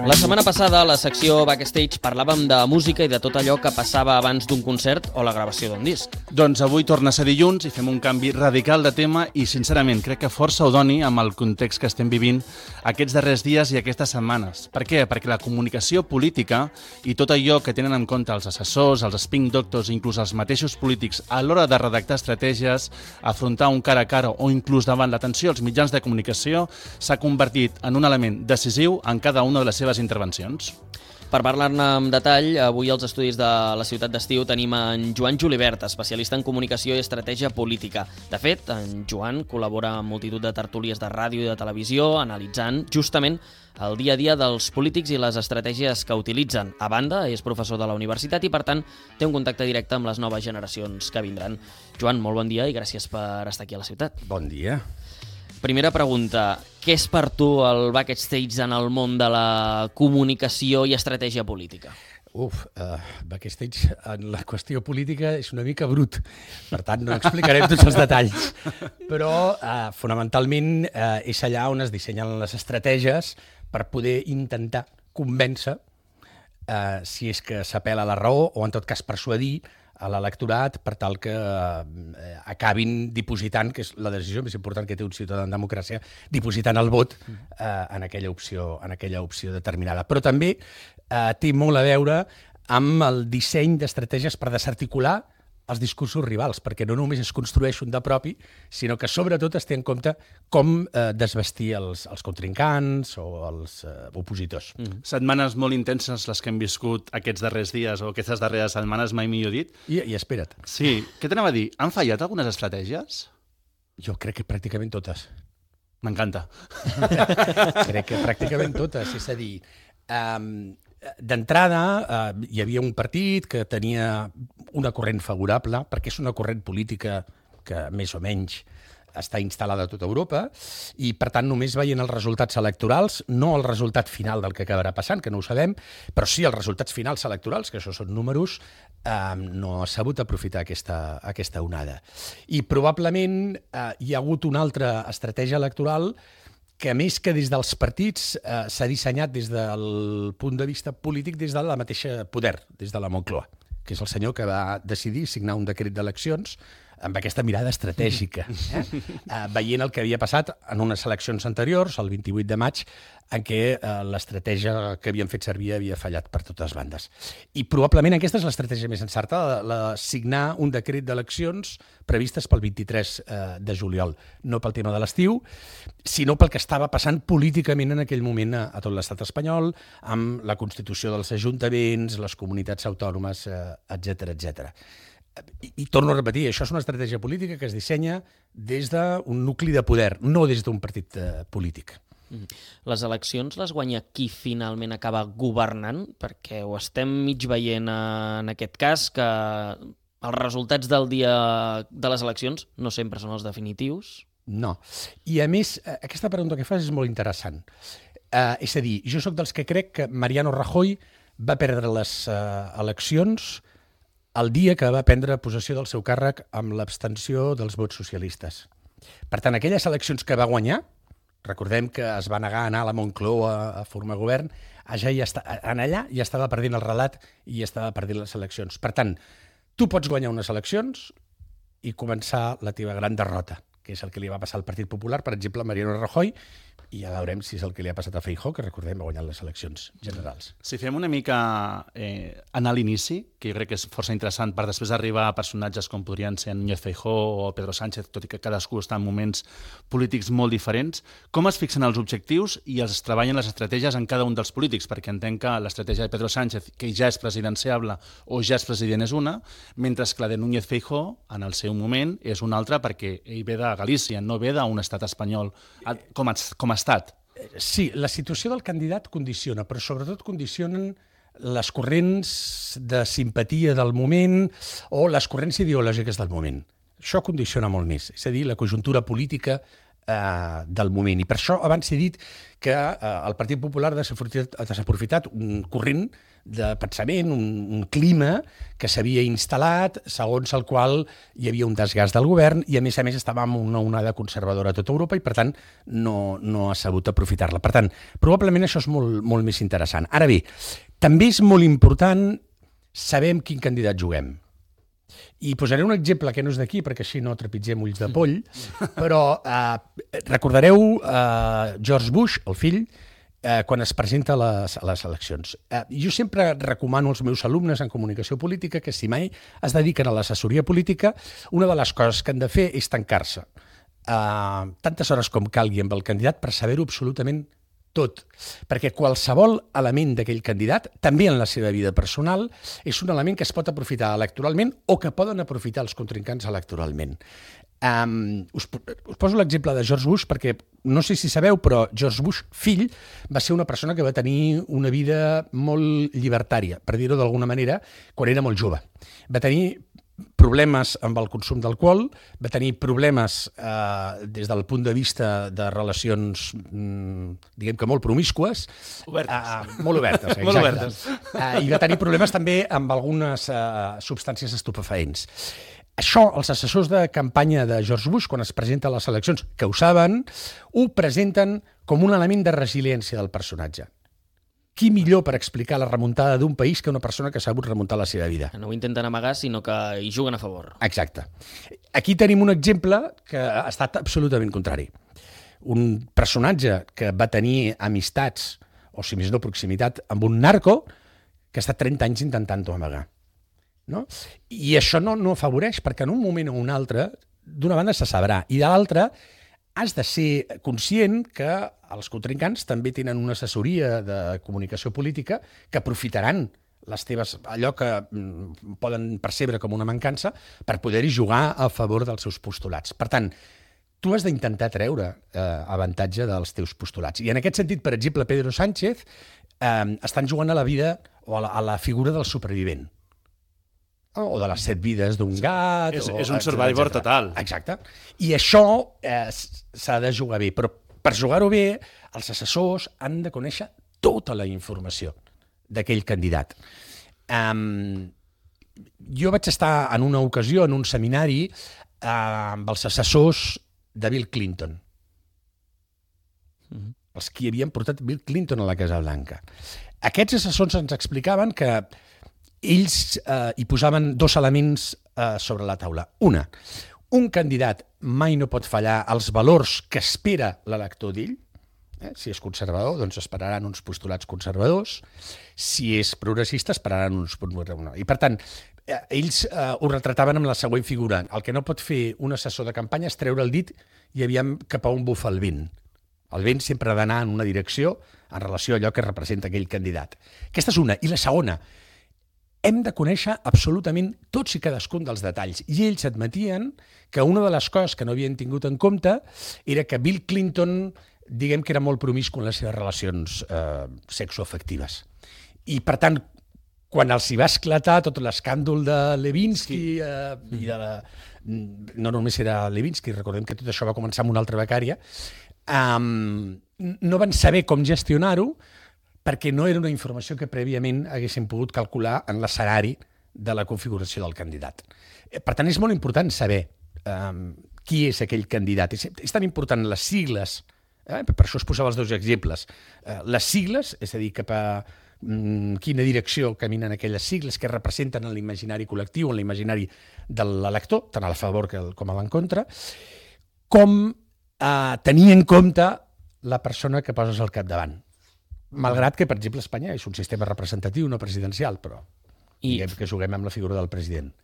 La setmana passada, a la secció Backstage, parlàvem de música i de tot allò que passava abans d'un concert o la gravació d'un disc. Doncs avui torna a ser dilluns i fem un canvi radical de tema i, sincerament, crec que força ho doni amb el context que estem vivint aquests darrers dies i aquestes setmanes. Per què? Perquè la comunicació política i tot allò que tenen en compte els assessors, els spin doctors, inclús els mateixos polítics a l'hora de redactar estratègies, afrontar un cara a cara o inclús davant l'atenció als mitjans de comunicació, s'ha convertit en un element decisiu en cada una de les seves intervencions. Per parlar-ne amb detall, avui als estudis de la Ciutat d'Estiu tenim en Joan Julibert, especialista en comunicació i estratègia política. De fet, en Joan col·labora en multitud de tertúlies de ràdio i de televisió, analitzant justament el dia a dia dels polítics i les estratègies que utilitzen. A banda, és professor de la universitat i, per tant, té un contacte directe amb les noves generacions que vindran. Joan, molt bon dia i gràcies per estar aquí a la ciutat. Bon dia. Primera pregunta, què és per tu el backstage en el món de la comunicació i estratègia política? Backstage en la qüestió política és una mica brut, per tant no explicarem tots els detalls, però fonamentalment és allà on es dissenyen les estratègies per poder intentar convèncer, si és que s'apel·la a la raó o en tot cas persuadir a l'electorat per tal que acabin dipositant, que és la decisió més important que té un ciutadà en democràcia, dipositant el vot en aquella opció determinada. Però també té molt a veure amb el disseny d'estratègies per desarticular els discursos rivals, perquè no només es construeix un de propi, sinó que sobretot es té en compte com desvestir els contrincants o els opositors. Setmanes molt intenses les que hem viscut aquests darrers dies o aquestes darreres setmanes, mai millor dit. I espera't. Sí, què t'anava a dir? Han fallat algunes estratègies? Jo crec que pràcticament totes. M'encanta. Crec que pràcticament totes, és a dir, d'entrada hi havia un partit que tenia una corrent favorable, perquè és una corrent política que més o menys està instal·lada a tota Europa, i per tant només veient els resultats electorals, no el resultat final del que acabarà passant, que no ho sabem, però sí els resultats finals electorals, que això són números, no ha sabut aprofitar aquesta onada. I probablement hi ha hagut una altra estratègia electoral que més que des dels partits s'ha dissenyat des del punt de vista polític des de la mateixa poder, des de la Moncloa, que és el senyor que va decidir signar un decret d'eleccions amb aquesta mirada estratègica, veient el que havia passat en unes eleccions anteriors, el 28 de maig, en què l'estratègia que havien fet servir havia fallat per totes bandes. I probablement aquesta és l'estratègia més encertada, signar un decret d'eleccions previstes pel 23 de juliol, no pel tema de l'estiu, sinó pel que estava passant políticament en aquell moment a tot l'estat espanyol, amb la constitució dels ajuntaments, les comunitats autònomes, etc. I torno a repetir, això és una estratègia política que es dissenya des d'un nucli de poder, no des d'un partit polític. Les eleccions les guanya qui finalment acaba governant? Perquè ho estem mig veient en aquest cas, que els resultats del dia de les eleccions no sempre són els definitius. No. I a més, aquesta pregunta que fas és molt interessant. És a dir, jo sóc dels que crec que Mariano Rajoy va perdre les eleccions el dia que va prendre possessió del seu càrrec amb l'abstenció dels vots socialistes. Per tant, aquelles eleccions que va guanyar, recordem que es va negar a anar a la Moncloa a formar govern, allà ja estava perdent el relat i estava perdent les eleccions. Per tant, tu pots guanyar unes eleccions i començar la teva gran derrota, que és el que li va passar al Partit Popular, per exemple, a Mariano Rajoy, i ja veurem si és el que li ha passat a Feijóo, que recordem ha guanyat les eleccions generals. Si fem una mica anar a l'inici, que jo crec que és força interessant per després arribar a personatges com podrien ser Núñez Feijóo o Pedro Sánchez, tot i que cadascú està en moments polítics molt diferents, com es fixen els objectius i es treballen les estratègies en cada un dels polítics? Perquè entenc que l'estratègia de Pedro Sánchez, que ja és presidenciable o ja és president, és una, mentre que la de Núñez Feijóo, en el seu moment, és una altra perquè ell ve de Galícia, no ve d'un estat espanyol com a estat. Sí, la situació del candidat condiciona, però sobretot condicionen les corrents de simpatia del moment o les corrents ideològiques del moment. Això condiciona molt més. És a dir, la conjuntura política del moment. I per això abans he dit que el Partit Popular ha desaprofitat un corrent de pensament, un clima que s'havia instal·lat, segons el qual hi havia un desgast del govern i, a més estava amb una onada conservadora a tota Europa i, per tant, no ha sabut aprofitar-la. Per tant, probablement això és molt més interessant. Ara bé, també és molt important saber amb quin candidat juguem. I posaré un exemple que no és d'aquí, perquè així no trepitgem ulls de poll, però recordareu George Bush, el fill, quan es presenta a les eleccions. Jo sempre recomano als meus alumnes en comunicació política que si mai es dediquen a l'assessoria política, una de les coses que han de fer és tancar-se tantes hores com calgui amb el candidat per saber-ho absolutament tot, perquè qualsevol element d'aquell candidat, també en la seva vida personal, és un element que es pot aprofitar electoralment o que poden aprofitar els contrincants electoralment. Us poso l'exemple de George Bush perquè no sé si sabeu, però George Bush, fill, va ser una persona que va tenir una vida molt llibertària, per dir-ho d'alguna manera, quan era molt jove. Va tenir problemes amb el consum d'alcohol, va tenir problemes des del punt de vista de relacions, diguem que molt promiscues. Obertes. Molt obertes, exacte. Molt obertes. I va tenir problemes també amb algunes substàncies estupefaents. Això, els assessors de campanya de George Bush, quan es presenta a les eleccions, que ho saben, ho presenten com un element de resiliència del personatge. Qui millor per explicar la remuntada d'un país que una persona que ha sabut remuntar la seva vida? No ho intenten amagar, sinó que hi juguen a favor. Exacte. Aquí tenim un exemple que ha estat absolutament contrari. Un personatge que va tenir amistats, o si més no proximitat, amb un narco que ha estat 30 anys intentant-ho amagar. No? I això no afavoreix, perquè en un moment o un altre, d'una banda se sabrà, i de l'altra has de ser conscient que els contrincants també tenen una assessoria de comunicació política que aprofitaran allò que poden percebre com una mancança per poder-hi jugar a favor dels seus postulats. Per tant, tu has d'intentar treure avantatge dels teus postulats. I en aquest sentit, per exemple, Pedro Sánchez estan jugant a la vida o a la figura del supervivent, o de les 7 vides d'un gat. És un survivor total. Exacte. I això s'ha de jugar bé, però per jugar-ho bé els assessors han de conèixer tota la informació d'aquell candidat. Jo vaig estar en una ocasió en un seminari amb els assessors de Bill Clinton, els qui havien portat Bill Clinton a la Casa Blanca. Aquests assessors ens explicaven que ells hi posaven 2 elements sobre la taula. Un candidat mai no pot fallar els valors que espera l'elector d'ell. Si és conservador, doncs esperaran uns postulats conservadors. Si és progressista, esperaran uns postulats. I, per tant, ells ho retrataven amb la següent figura. El que no pot fer un assessor de campanya és treure el dit i aviam cap a on bufa el vent. El vent sempre ha d'anar en una direcció en relació a allò que representa aquell candidat. Aquesta és una. I la segona, hem de conèixer absolutament tots i cadascun dels detalls. I ells admetien que una de les coses que no havien tingut en compte era que Bill Clinton, diguem que era molt promiscu en les seves relacions sexoafectives. I, per tant, quan els hi va esclatar tot l'escàndol de Lewinsky, no només era Lewinsky, recordem que tot això va començar amb una altra becària, no van saber com gestionar-ho, perquè no era una informació que prèviament haguessin pogut calcular en l'escenari de la configuració del candidat. Per tant, és molt important saber qui és aquell candidat. És tan important les sigles, per això es posava els 2 exemples. Les sigles, és a dir, cap a quina direcció caminen aquelles sigles que representen en l'imaginari col·lectiu, en l'imaginari de l'elector, tant a la favor com a l'encontra, com tenir en compte la persona que poses al capdavant. Malgrat que, per exemple, Espanya és un sistema representatiu, no presidencial, però diguem que juguem amb la figura del president.